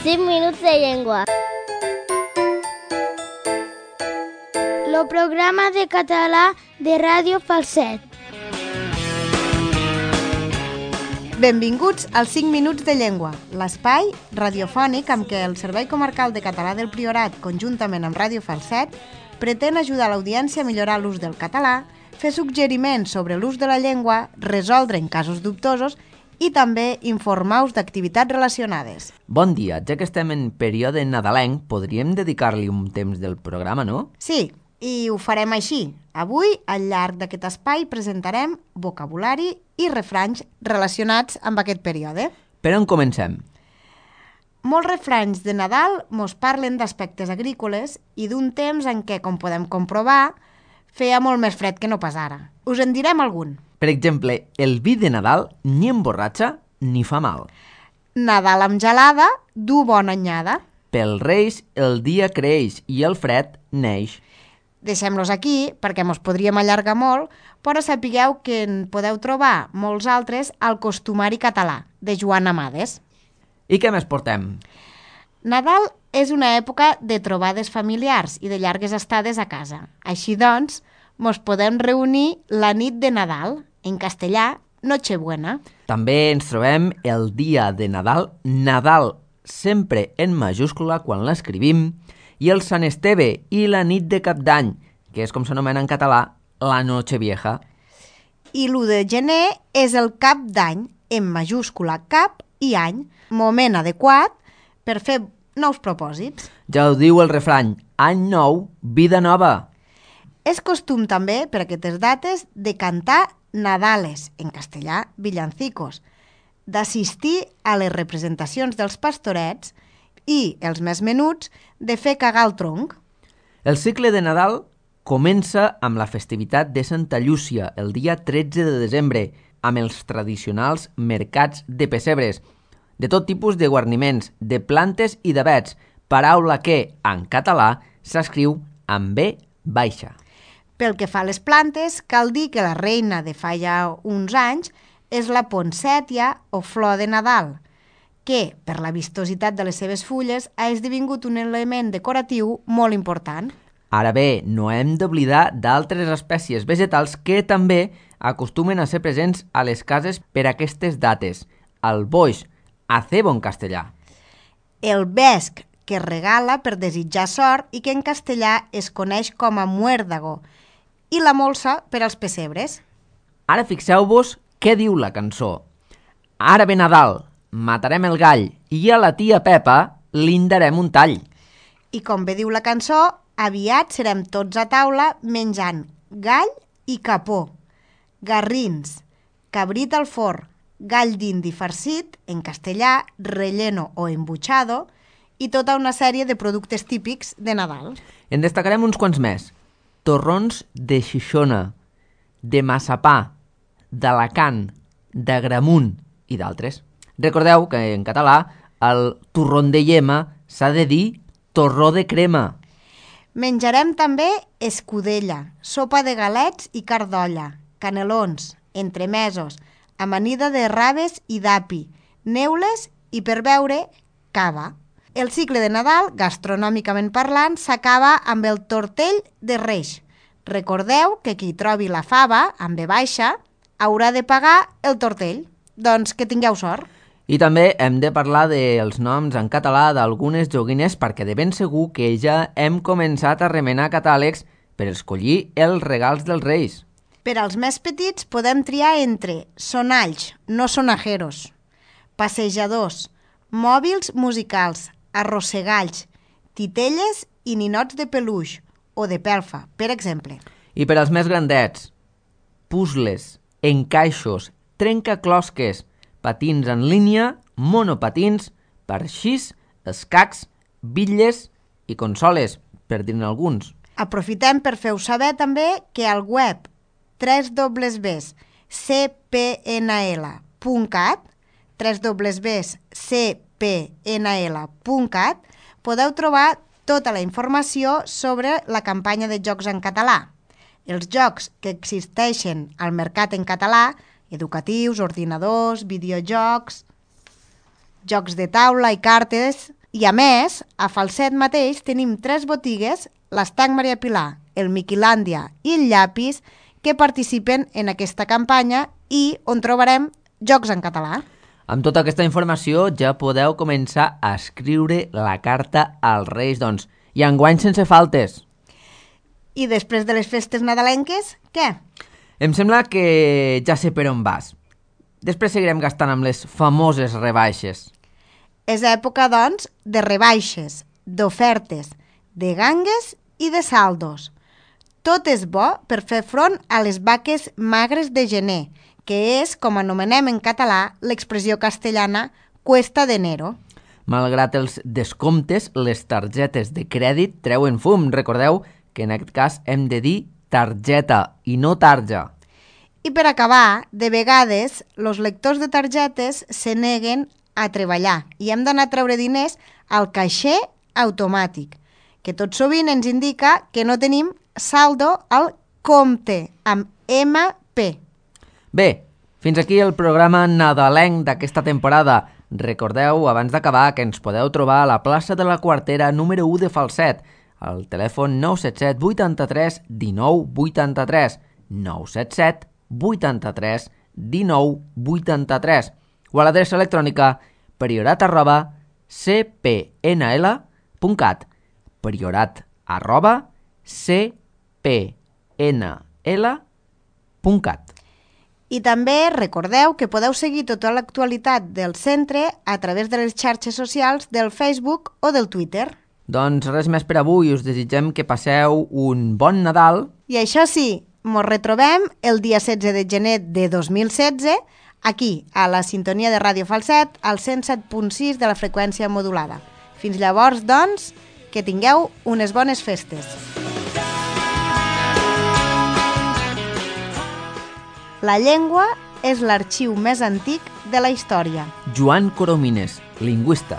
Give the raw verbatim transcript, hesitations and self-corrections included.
cinc minuts de llengua. El programa de català de Ràdio Falset. Benvinguts als cinc minuts de llengua, l'espai radiofònic amb què el Servei Comarcal de Català del Priorat, conjuntament amb Ràdio Falset, pretén ajudar l'audiència a millorar l'ús del català, fer suggeriments sobre l'ús de la llengua, resoldre en casos dubtosos i també informar-vos d'activitats relacionades. Bon dia, ja que estem en període nadalenc, podríem dedicar-li un temps del programa, no? Sí, i ho farem així. Avui, al llarg d'aquest espai, presentarem vocabulari i refranys relacionats amb aquest període. Per on comencem? Molts refranys de Nadal mos parlen d'aspectes agrícoles i d'un temps en què, com podem comprovar, feia molt més fred que no pas ara. Us en direm algun. Per exemple, el vi de Nadal ni emborratxa ni fa mal. Nadal amb gelada du bona anyada. Pel Reis el dia creix i el fred neix. Deixem-los aquí perquè mos podríem allargar molt, però sapigueu que en podeu trobar molts altres al Costumari català, de Joan Amades. I què més portem? Nadal és una època de trobades familiars i de llargues estades a casa. Així doncs, mos podem reunir la nit de Nadal, en castellà, Nochebuena. També ens trobem el dia de Nadal, Nadal, sempre en majúscula quan l'escrivim, i el Sant Esteve i la nit de Cap d'Any, que és com s'anomena en català, la Nochevieja. I l'u de gener és el Cap d'Any, en majúscula cap i any, moment adequat per fer nous propòsits. Ja ho diu el refrany, any nou, vida nova. És costum també, per aquestes dates, de cantar Nadales, en castellà, villancicos, d'assistir a les representacions dels pastorets i, els més menuts, de fer cagar el tronc. El cicle de Nadal comença amb la festivitat de Santa Llúcia, el dia tretze de desembre, amb els tradicionals mercats de pessebres, de tot tipus de guarniments, de plantes i d'avets, paraula que, en català, s'escriu amb B baixa. Pel que fa a les plantes, cal dir que la reina de fa ja uns anys és la poncètia o flor de Nadal, que, per la vistositat de les seves fulles, ha esdevingut un element decoratiu molt important. Ara bé, no hem d'oblidar d'altres espècies vegetals que també acostumen a ser presents a les cases per aquestes dates. El boix, acebo en castellà. El vesc, que regala per desitjar sort i que en castellà es coneix com a muérdago, i la molsa per als pessebres. Ara fixeu-vos què diu la cançó. Ara ve Nadal, matarem el gall i a la tia Pepa li darem un tall. I com bé diu la cançó, aviat serem tots a taula menjant gall i capó, garrins, cabrit al forn, gall d'indi farcit, en castellà, relleno o embuchado, i tota una sèrie de productes típics de Nadal. En destacarem uns quants més. Torrons de Xixona, de massapà, d'Alacant, d'agramunt i d'altres. Recordeu que en català el torrón de llema s'ha de dir torró de crema. Menjarem també escudella, sopa de galets i carn d'olla, canelons, entremesos, amanida de raves i d'api, neules i, per beure, cava. El cicle de Nadal, gastronòmicament parlant, s'acaba amb el tortell de Reis. Recordeu que qui trobi la fava, amb B baixa, haurà de pagar el tortell. Doncs que tingueu sort. I també hem de parlar dels noms en català d'algunes joguines perquè de ben segur que ja hem començat a remenar catàlegs per escollir els regals dels Reis. Per als més petits podem triar entre sonalls, no sonajeros, passejadors, mòbils musicals, arrossegalls, titelles i ninots de peluix o de pelfa, per exemple. I per als més grandets, puzzles, encaixos, trencaclosques, patins en línia, monopatins, parxís, escacs, bitlles i consoles, per dir-ne alguns. Aprofitem per fer-vos saber també que al web w w w punt c p n l punt cat w w w punt c p n l punt cat podeu trobar tota la informació sobre la campanya de jocs en català. Els jocs que existeixen al mercat en català, educatius, ordinadors, videojocs, jocs de taula i cartes I a més, a Falset mateix tenim tres botigues, l'Estanc Maria Pilar, el Miquilàndia i el Llapis, que participen en aquesta campanya i on trobarem jocs en català. Amb tota aquesta informació ja podeu començar a escriure la carta als Reis, doncs, i enguany sense faltes. I després de les festes nadalenques, què? Em sembla que ja sé per on vas. Després seguirem gastant amb les famoses rebaixes. És època, doncs, de rebaixes, d'ofertes, de gangues i de saldos. Tot és bo per fer front a les vaques magres de gener, que és, com anomenem en català, l'expressió castellana cuesta d'enero. Malgrat els descomptes, les targetes de crèdit treuen fum. Recordeu que en aquest cas hem de dir targeta i no tarja. I per acabar, de vegades, els lectors de targetes se neguen a treballar i hem d'anar a treure diners al caixer automàtic, que tot sovint ens indica que no tenim saldo al compte, amb ema pe. Bé, fins aquí el programa nadalenc d'aquesta temporada. Recordeu, abans d'acabar, que ens podeu trobar a la plaça de la Quartera número u de Falset, al telèfon nou set set vuitanta-tres dinou vuitanta-tres, nou set set vuitanta-tres dinou vuitanta-tres, o a l'adreça electrònica priorat arroba ce pe ene ele punt cat, priorat arroba ce pe ene ele punt cat. I també recordeu que podeu seguir tota l'actualitat del centre a través de les xarxes socials del Facebook o del Twitter. Doncs res més per avui, us desitgem que passeu un bon Nadal. I això sí, mos retrobem el dia setze de gener de dos mil setze aquí, a la sintonia de Ràdio Falset, al cent set punt sis de la freqüència modulada. Fins llavors, doncs, que tingueu unes bones festes. La llengua és l'arxiu més antic de la història. Joan Coromines, lingüista.